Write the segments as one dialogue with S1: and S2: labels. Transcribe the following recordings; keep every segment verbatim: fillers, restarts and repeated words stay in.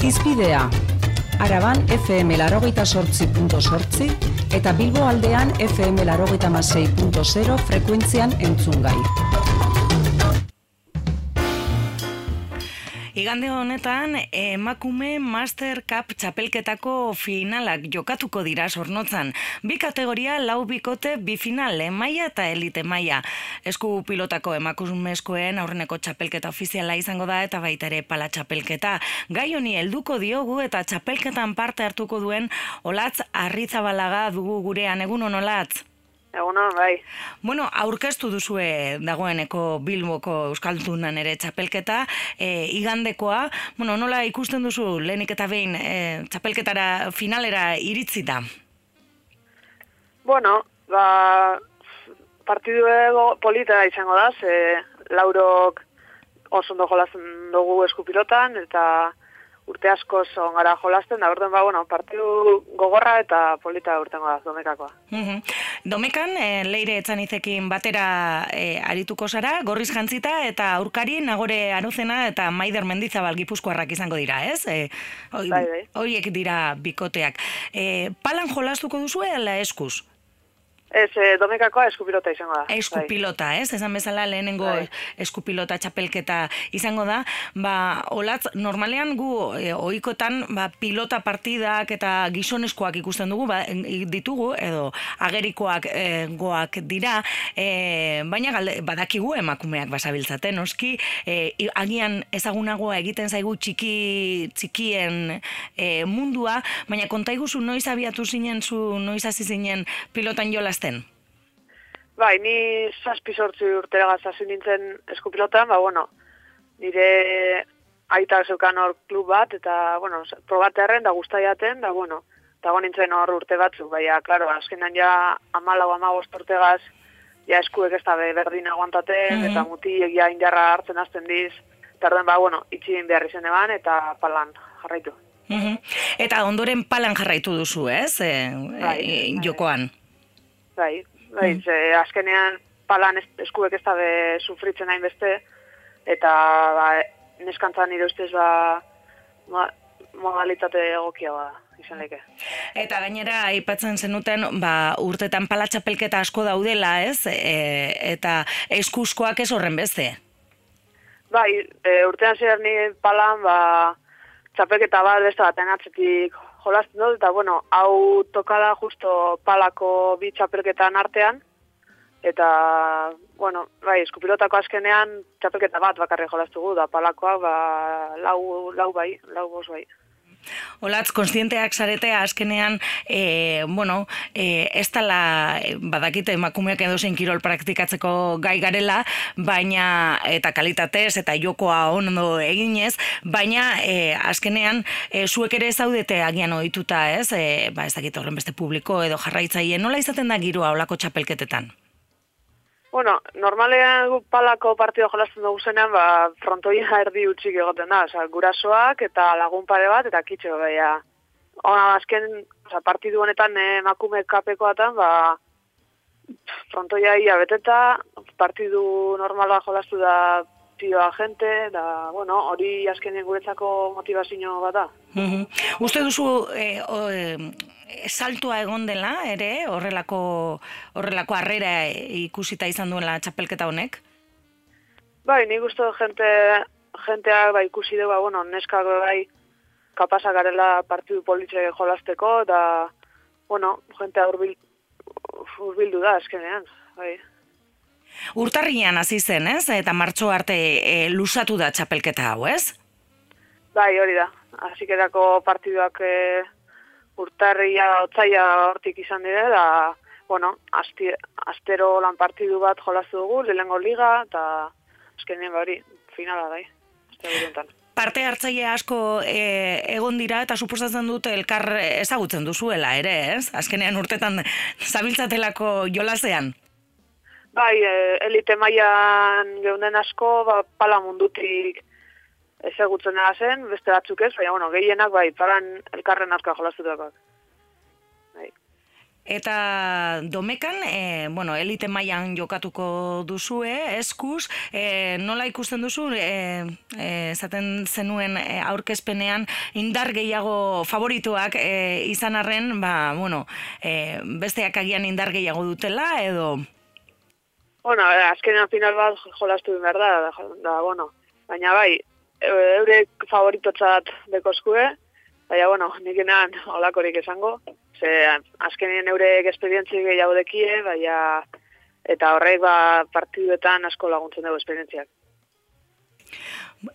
S1: Hizpidea. Araban F M laurogeita zortzi puntu zortzi eta Bilbo aldean F M laurogeita hamasei puntu zero frekuentzian entzungai.
S2: Igande honetan, emakume Master Cup txapelketako finalak jokatuko dira Zornotzan. Bi kategoria, lau bikote, bi final, maila eta elite maila. Esku pilotako emakumezkoen aurreneko txapelketa ofiziala izango da eta baita ere pala txapelketa. Gai honi helduko diogu eta txapelketan parte hartuko duen Olatz Arrizabalaga dugu gurean. Egunon, Olatz?
S3: Egunon, bai.
S2: Bueno, aurkeztu duzue dagoeneko Bilboko Euskaldunan ere txapelketa, e, igandekoa. Bueno, nola ikusten duzu lehenik eta behin e, txapelketara finalera iritzi da?
S3: Bueno, ba, partidu polita izango da, ze laurok oso ondo jolasten dugu eskupilotan, eta urte asko on gara jolasten, da orduan ba, bueno, partidu gogorra eta polita urtengo da, Domekakoa.
S2: Uh-huh. Domekan, e, Leire Etxanizekin batera e, arituko zara, gorriz jantzita eta aurkari Nagore Aruzena eta Maider Mendizabal Gipuzkoarrak izango dira, ez? E, oi,
S3: bai, bai.
S2: Horiek dira bikoteak. E, palan jolastuko duzu ala eskuz?
S3: Ez, e, Domekakoa eskupilota izango da.
S2: Eskupilota, ez? Esan bezala lehenengo
S3: bai.
S2: eskupilota txapelketa izango da. Ba, Olatz, normalean gu e, ohikotan ba, pilota partidak eta gizoneskoak ikusten dugu, ba, ditugu, edo agerikoak e, goak dira, e, baina galde, badakigu emakumeak basabiltzaten, noski, e, agian ezagunagoa egiten zaigu txiki, txikien e, mundua, baina kontaiguzu noiz abiatu zinen zu, noiz hasi zinen pilotan jolazten?
S3: Bai, ni zazpi sortzi urteragaz hasi nintzen eskupilotan, ba, bueno, nire aitak zeukan hor klub bat, eta, bueno, probatearen da guztaiaten, da, bueno, eta go nintzen hor urte batzu, baina, klaro, azkenan ja amalau amagost urtegaz, ja eskuek ez da berdin aguantaten, mm-hmm. eta mutiek ja indarra hartzen hasten diz, eta orduan, ba, bueno, itxin behar izen eban, eta palan jarraitu.
S2: Mm-hmm. Eta ondoren palan jarraitu duzu, ez? E,
S3: bai,
S2: e, jokoan.
S3: Bai, bai, mm. ze, azkenean palan eskuek ez da be sufritzen hain beste, eta ba, neskantzan nire ustez ba, ma, modalitate egokia ba, izan leke.
S2: Eta gainera, aipatzen zenuten, ba, urtetan pala txapelketa asko daudela, ez? E, eta eskuzkoak ez horren beste?
S3: Bai, e, urtean zer ni palan, ba, txapelketa bat beste baten atzetik jolazten dut, eta, bueno, hau tokada justo palako bi txapelketan artean, eta, bueno, bai, eskupilotako azkenean txapelketa bat bakarri jolaztugu, da palakoa, ba, lau, lau bai, lau bos bai.
S2: Olatz, konstienteak zaretea azkenean, e, bueno, e, ez tala, badakite emakumeak edozein kirol praktikatzeko gai garela, baina, eta kalitatez, eta jokoa ondo eginez, baina e, azkenean, e, zuek ere zaudete agian ohituta, ez? E, ba, ez dakit horren beste publiko edo jarraitzaile, nola izaten da giroa olako txapelketetan?
S3: Bueno, normalean gu palako partido jolasten dugu zenean, ba, frontoia erdi utxik egoten da, oza, gurasoak eta lagun pare bat, eta kitxo, baina, ona, azken, oza, partidu honetan emakume kapekoatan, ba, frontoia ia beteta, partidu normala jolastu da tioa gente, da, bueno, hori azkenen guretzako motivazio bat da.
S2: Mm-hmm. Uste duzu, e, o, e, saltua egon dela, ere, horrelako, horrelako harrera ikusita izan duela txapelketa honek?
S3: Bai, nik uste jente, jenteak ba, ikusi dugu, ba, bueno, neskak bai kapasa garela partidu politxe jolasteko, da, bueno, jentea urbil, urbildu da, azkenean, bai.
S2: Urtarrian hasi zen, ez? Eta martxo arte e, lusatu da txapelketa hau, ez?
S3: Bai, hori da. Hasikerako partiduak e, urtarria, otzaia hortik izan dira, da, bueno, asti, astero lan partidu bat jolastu dugu, lehenengo liga, eta azkenean hori, finala da, astero
S2: Parte hartzaile asko e, egon dira eta suposatzen dute elkar ezagutzen duzuela ere, ez? Azkenean urtetan zabiltzatelako jolasean.
S3: Bai, elite mailan geunden asko, ba, pala mundutik ezagutzen zen, beste batzuk ez, baina, bueno, gehienak, bai, palan elkarren asko jolaztutakoak. Bai.
S2: Eta domekan, e, bueno, elite mailan jokatuko duzue, eskuz, e, nola ikusten duzu, e, e, esaten zenuen e, aurkezpenean indar gehiago favorituak e, izan arren, ba, bueno, e, besteak agian indar gehiago dutela, edo...
S3: Bueno, azkenean final bat jolastu behar da, da, da, bueno, baina bai, eurek favoritotzat dekozkue, baina, bueno, nik enan olakorik esango, ze azkenean eurek esperientzi gehiago dekie, baina, eta horrek ba, partiduetan asko laguntzen dugu esperientziak.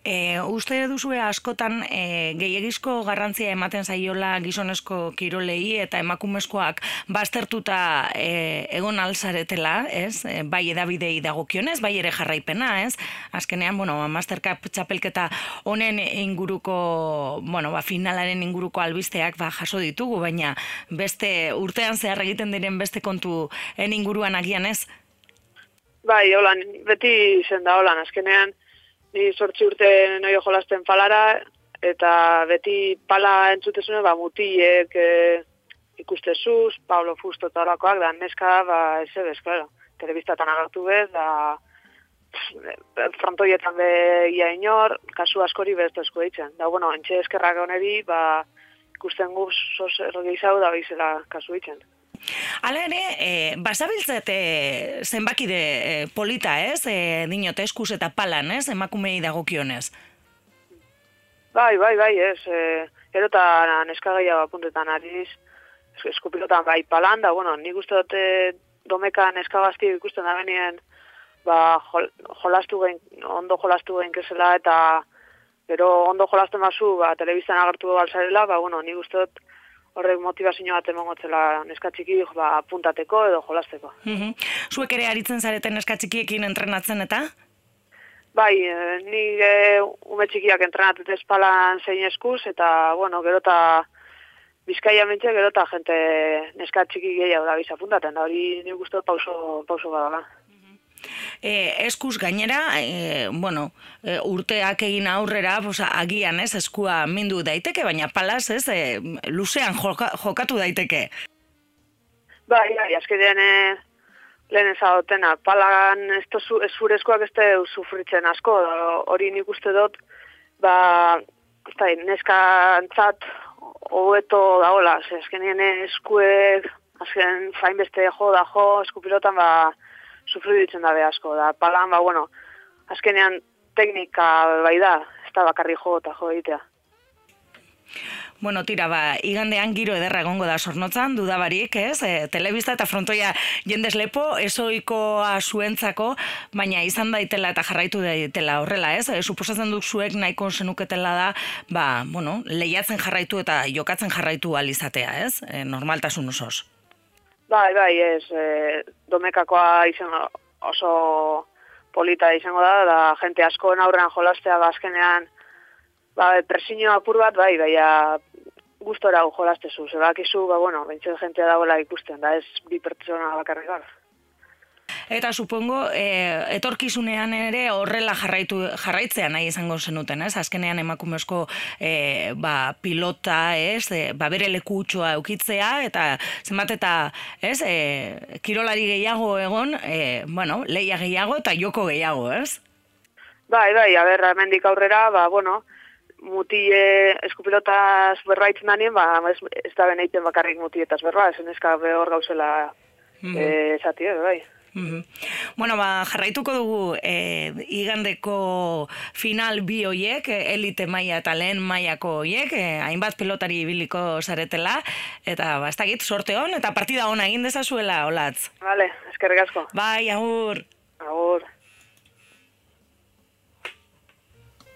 S2: E, uste duzue askotan e, gehiagizko garrantzia ematen zaiola gizonezko kirolei eta emakumezkoak baztertuta e, egon alzaretela, ez? E, bai edabidei dagokionez, bai ere jarraipena, ez? Azkenean, bueno, Mastercup txapelketa honen inguruko, bueno, ba, finalaren inguruko albisteak ba, jaso ditugu, baina beste urtean zehar egiten diren beste kontuen inguruan agian, ez?
S3: Bai, holan, beti zen da holan, azkenean ni sortzi urte noio jolasten palara, eta beti pala entzutezune, ba, mutiek e, ikustezuz, Pablo Fusto eta horakoak, da neska, ba, ez ebez, klaro, telebistatan agertu bez, da frontoietan be ia inor, kasu askori bezto esku ditzen. Da, bueno, entxe eskerrak honeri, ba, ikusten guz, sos ergizau da bizela kasu ditzen.
S2: Hala ere, e, basabiltzete zenbakide e, polita, ez? E, dinot, eskuz eta palan, ez? Emakumei dagokionez.
S3: Bai, bai, bai, ez. E, gero eta neska gehiago apuntetan ariz, eskupilotan bai palan, da, bueno, nik uste dute domeka neska gazti ikusten da benien, ba, jol, jolastu gein, ondo jolastu gein kezela, eta gero ondo jolasten bazu, ba, telebistan agertu galzarela, ba, bueno, nik uste dut horrek motivazio bat emongotzela neska txiki ba, puntateko edo jolasteko.
S2: Mm-hmm. Zuek ere aritzen zareten neska txikiekin entrenatzen eta?
S3: Bai, e, ni e, ume txikiak entrenatut espalan zein eskuz, eta, bueno, gero eta Bizkaia mentxe, gero eta jente neska txiki gehiago da biza puntaten, da hori nik uste pauso, pauso badala.
S2: E, eskuz gainera, e, bueno, e, urteak egin aurrera, bosa, agian ez, eskua mindu daiteke, baina palaz ez, e, luzean joka, jokatu daiteke.
S3: Bai, bai, azkenean e, lehen ezagotena, palan ez zurezkoak ez da sufritzen asko, hori nik uste dut, ba, ez da, neska antzat hobeto daola, azkenean eskuek, azken fain beste jo da jo, eskupilotan, ba, sufridu ditzen dabe asko, da palan, ba, bueno, azkenean teknika bai da, ez da bakarri jo eta jo egitea.
S2: Bueno, tira, ba, igandean giro ederra egongo da Zornotzan, dudabarik, ez? E, telebista eta frontoia jendez lepo, ezoikoa zuentzako, baina izan daitela eta jarraitu daitela horrela, ez? E, suposatzen duk zuek nahiko zenuketela da, ba, bueno, lehiatzen jarraitu eta jokatzen jarraitu alizatea, ez? E, normaltasun osoz.
S3: Bai, bai, ez, e, domekakoa izango oso polita izango da, da jente askoen aurrean jolastea, ba, azkenean, ba, presiño apur bat, bai, baina gustora jolastezu, zebakizu, ba, bueno, bentzen jentea dagoela ikusten, da ez bi pertsona bakarrik gara.
S2: Eta supongo, e, etorkizunean ere horrela jarraitu, jarraitzea nahi izango zenuten, ez? Azkenean emakumezko e, ba, pilota, ez? E, ba, bere lekutxoa eukitzea, eta zenbat eta, ez? E, kirolari gehiago egon, e, bueno, leia gehiago eta joko gehiago, ez?
S3: Bai, bai, aber, hemendik aurrera, ba, bueno, mutie eskupilotaz berbaitzen danien, ba, ez, ez da beneiten bakarrik mutietaz berba, ez neska behor gauzela mm. e, esatie, bai.
S2: Mm-hmm. Bueno, ba, jarraituko dugu e, igandeko final bi hoiek, elite maila eta lehen mailako hoiek, e, hainbat pilotari ibiliko zaretela, eta ba, ez dakit, sorte hon, eta partida hona egin dezazuela, Olatz.
S3: Vale, eskerrik asko.
S2: Bai, agur.